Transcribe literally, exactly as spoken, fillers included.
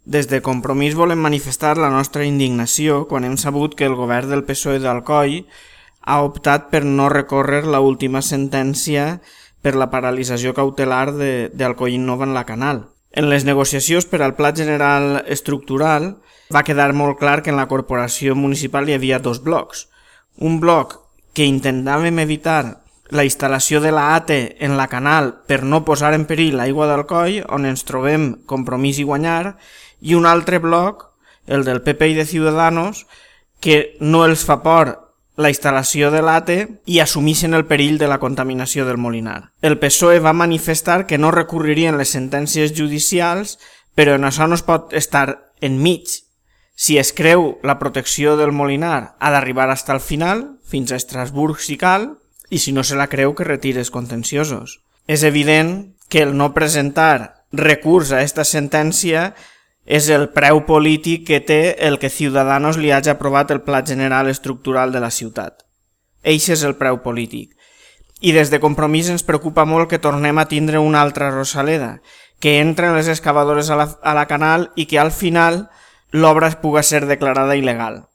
Des de Compromís volem manifestar la nostra indignació quan hem sabut que el govern del P S O E d'Alcoi ha optat per no recórrer l'última sentència per la paralització cautelar d'Alcoi Innova en la Canal. En les negociacions per al Pla General Estructural va quedar molt clar que en la corporació municipal hi havia dos blocs. Un bloc que intentàvem evitar la instal·lació de la A T E en la Canal per no posar en perill l'aigua d'Alcoi, on ens trobem Compromís i Guanyar, i un altre bloc, el del P P i de Ciudadanos, que no els fa por la instal·lació de l'A T E i assumeixen el perill de la contaminació del Molinar. El P S O E va manifestar que no recurririen les sentències judicials, però en això no es pot estar enmig. Si es creu la protecció del Molinar, ha d'arribar fins al final, fins a Estrasburg si cal, i si no se la creu que retire els contenciosos. És evident que el no presentar recurs a aquesta sentència és el preu polític que té el que Ciudadanos li hagi aprovat el Pla General Estructural de la ciutat. Eixe és el preu polític. I des de Compromís ens preocupa molt que tornem a tindre una altra Rosaleda, que entren les excavadores a la, a la Canal i que al final l'obra pugui ser declarada il·legal.